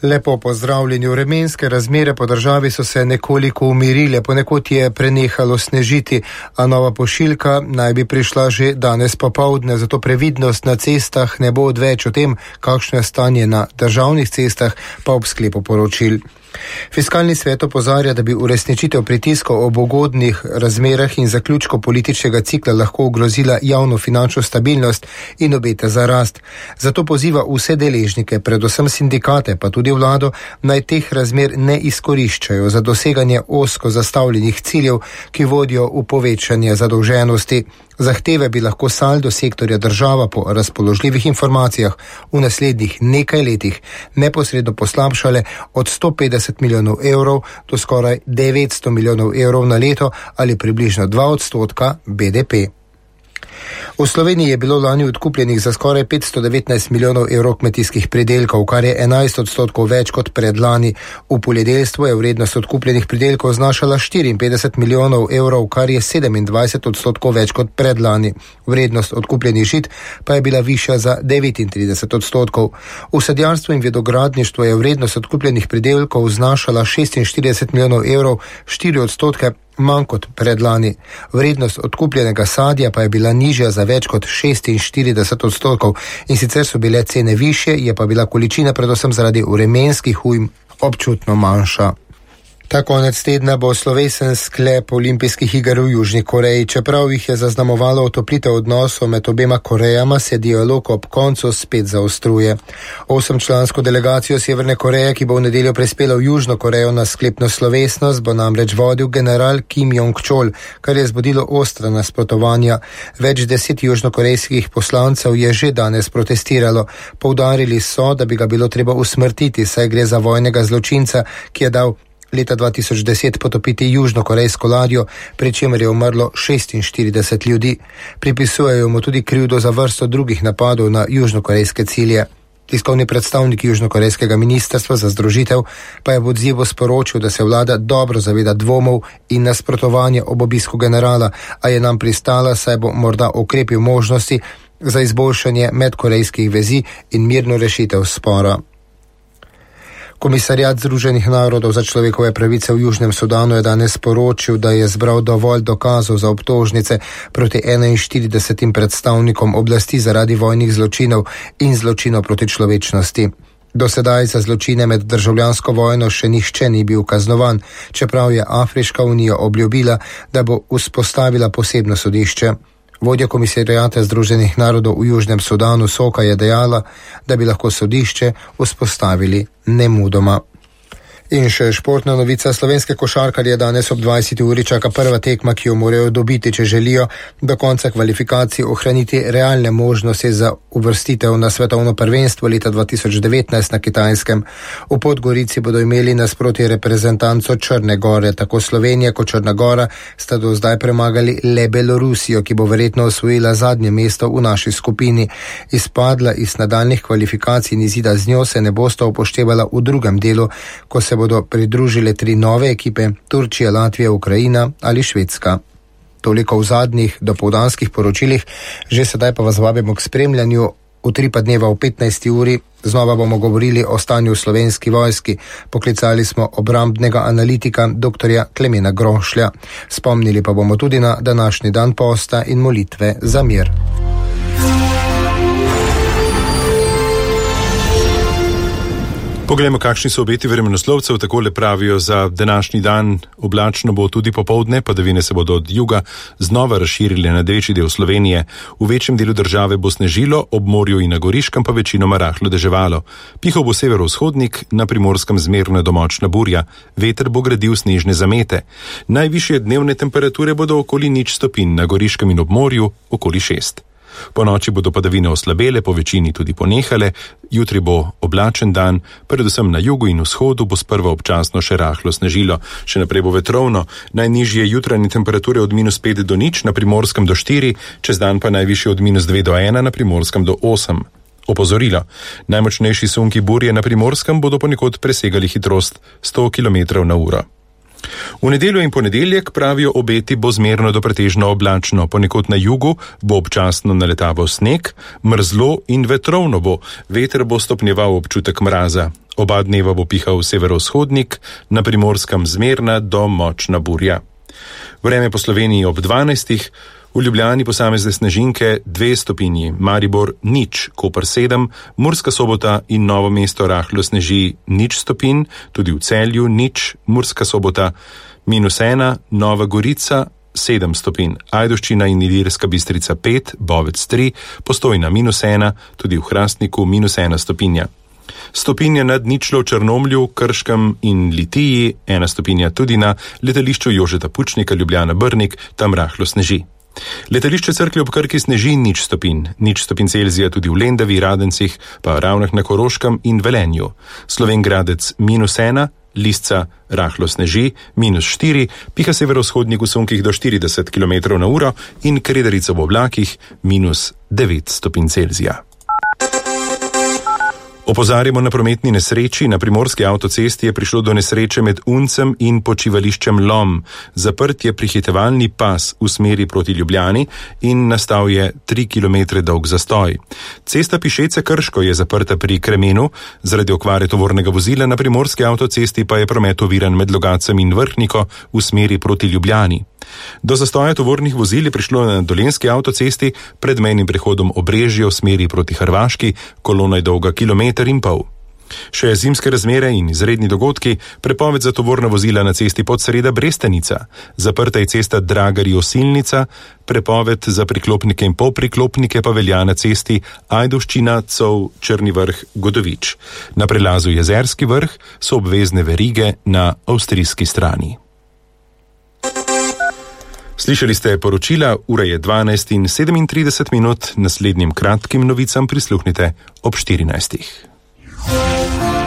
Lepo pozdravljeni. Vremenske razmere po državi so se nekoliko umirile, ponekod je prenehalo snežiti, a nova pošiljka naj bi prišla že danes popoldne, zato previdnost na cestah ne bo odveč. O tem, kakšno je stanje na državnih cestah, pa ob sklepu poročil. Fiskalni svet opozarja, da bi uresničitev pritiskov ob ugodnih razmerah in zaključku političnega cikla lahko ogrozila javno finančno stabilnost in obete za rast. Zato poziva vse deležnike, predvsem sindikate, pa tudi vlado, naj teh razmer ne izkoriščajo za doseganje ozko zastavljenih ciljev, ki vodijo v povečanje zadolženosti. Zahteve bi lahko saldo sektorja država po razpoložljivih informacijah v naslednjih nekaj letih neposredno poslabšale od 150 milijonov evrov do skoraj 900 milijonov evrov na leto ali približno 2% BDP. V Sloveniji je bilo lani odkupljenih za skoraj 519 milijonov evrov kmetijskih pridelkov, kar je 11% več kot predlani. V poljedelstvu je vrednost odkupljenih pridelkov znašala 54 milijonov evrov, kar je 27% več kot predlani. Vrednost odkupljenih žit pa je bila višja za 39%. V sadjarstvu in vinogradništvu je vrednost odkupljenih pridelkov znašala 46 milijonov evrov, 4% manj kot predlani. Vrednost odkupljenega sadja pa je bila nižja za več kot 46%, in sicer so bile cene višje, je pa bila količina predvsem zaradi vremenskih ujm občutno manjša. Ta konec tedna bo slovesen sklep olimpijskih iger v Južni Koreji. Čeprav jih je zaznamovalo otoplitev odnosov med obema Korejama, se dialog ob koncu spet zaostruje. 8-člansko delegacijo Severne Koreje, ki bo v nedeljo prispela v Južno Korejo na sklepno slovesnost, bo namreč vodil general Kim Jong-chol, kar je zbudilo ostra nasprotovanja. Več 10 južnokorejskih poslancev je že danes protestiralo. Poudarili so, da bi ga bilo treba usmrtiti, saj gre za vojnega zločinca, ki je dal leta 2010 potopiti južnokorejsko ladjo, pri čemer je umrlo 46 ljudi. Pripisujejo mu tudi krivdo za vrsto drugih napadov na južnokorejske cilje. Tiskovni predstavnik južnokorejskega ministrstva za združitev pa je v odzivu sporočil, da se vlada dobro zaveda dvomov in nasprotovanja ob obisku generala, a je nam pristala, saj bo morda okrepil možnosti za izboljšanje medkorejskih vezi in mirno rešitev spora. Komisariat Združenih narodov za človekove pravice v Južnem Sudanu je danes sporočil, da je zbral dovolj dokazov za obtožnice proti 41 predstavnikom oblasti zaradi vojnih zločinov in zločinov proti človečnosti. Do sedaj za zločine med državljansko vojno še nihče ni bil kaznovan, čeprav je Afriška unija obljubila, da bo vzpostavila posebno sodišče. Vodja komisarijata Združenih narodov v Južnem Sudanu Soka je dejala, da bi lahko sodišče vzpostavili nemudoma. In še športna novica. Slovenske košarkarje danes ob 20. uri čaka prva tekma, ki jo morajo dobiti, če želijo do konca kvalifikacij ohraniti realne možnosti za uvrstitev na svetovno prvenstvo leta 2019 na Kitajskem. V Podgorici bodo imeli nasproti reprezentanco Črne Gore. Tako Slovenija kot Črna Gora sta do zdaj premagali le Belorusijo, ki bo verjetno osvojila zadnje mesto v naši skupini. Izpadla iz nadaljnih kvalifikacij in izida z njo se ne bosta upoštevala v drugem delu, ko se bodo pridružile 3 nove ekipe: Turčija, Latvija, Ukrajina ali Švedska. Toliko v zadnjih dopoldanskih poročilih, že sedaj pa vas vabimo k spremljanju utripa dneva v 15. uri. Znova bomo govorili o stanju v Slovenski vojski. Poklicali smo obrambnega analitika dr. Klemena Grošlja. Spomnili pa bomo tudi na današnji dan posta in molitve za mir. Poglejmo, kakšni so obeti vremenoslovcev. Takole pravijo za današnji dan: oblačno bo tudi popoldne, padavine se bodo od juga znova razširile na večji del Slovenije. V večjem delu države bo snežilo, ob morju in na Goriškem pa večinoma rahlo deževalo. Pihal bo severovzhodnik, na Primorskem zmerna do močna burja. Veter bo gradil snežne zamete. Najvišje dnevne temperature bodo okoli 0 stopinj, na Goriškem in ob morju okoli 6. Po noči bodo padavine oslabele, po večini tudi ponehale. Jutri bo oblačen dan, predvsem na jugu in vzhodu bo sprva občasno še rahlo snežilo. Še naprej bo vetrovno, najnižje jutranje temperature od -5 do 0, na Primorskem do 4, čez dan pa najvišje od -2 do 1, na Primorskem do 8. Opozorilo: najmočnejši sunki burje na Primorskem bodo ponekod presegali hitrost 100 km/h. V nedeljo in ponedeljek, pravijo obeti, bo zmerno do pretežno oblačno. Ponekod na jugu bo občasno naletaval sneg, mrzlo in vetrovno bo. Veter bo stopnjeval občutek mraza. Oba dneva bo pihal severovzhodnik, na Primorskem zmerna do močna burja. Vreme po Sloveniji ob 12. V Ljubljani posamezne snežinke 2 stopinji, Maribor 0, Koper 7, Murska Sobota in Novo mesto rahlo sneži 0 stopinj, tudi v Celju 0, Murska Sobota -1, Nova Gorica 7 stopinj, Ajdovščina in Ilirska Bistrica 5, Bovec 3, Postojna -1, tudi v Hrastniku -1 stopinja. Stopinja nad ničlo v Črnomlju, Krškem in Litiji, 1 stopinja tudi na letališču Jožeta Pučnika Ljubljana Brnik, tam rahlo sneži. Letališče Cerklje ob Krki sneži 0 stopinj, 0 stopinj Celzija tudi v Lendavi, Radencih, pa Ravnah na Koroškem in Velenju. Slovenj Gradec -1, Lisca rahlo sneži -4, piha severovzhodnik v sunkih do 40 km/h in Kredarica v oblakih -9 stopinj Celzija. Opozarjamo na prometni nesreči. Na primorski avtocesti je prišlo do nesreče med Uncem in počivališčem Lom. Zaprt je prehitevalni pas v smeri proti Ljubljani in nastal je 3 km dolg zastoj. Cesta Pišece Krško je zaprta pri Kremenu, zaradi okvare tovornega vozila na primorski avtocesti pa je promet oviran med Logacem in Vrhniko v smeri proti Ljubljani. Do zastoja tovornih vozil je prišlo na dolenjski avtocesti pred mejnim prehodom Obrežje v smeri proti Hrvaški, kolona je dolga 1,5 km. Še zimske razmere in izredni dogodki, prepoved za tovorna vozila na cesti Podsreda Brestenica, zaprta je cesta Dragari-Osilnica, prepoved za priklopnike in polpriklopnike pa velja na cesti Ajdovščina, Cov, Črni Vrh, Godovič. Na prelazu Jezerski Vrh so obvezne verige na avstrijski strani. Slišali ste poročila, ura je 12:37, naslednjim kratkim novicam prisluhnite ob 14.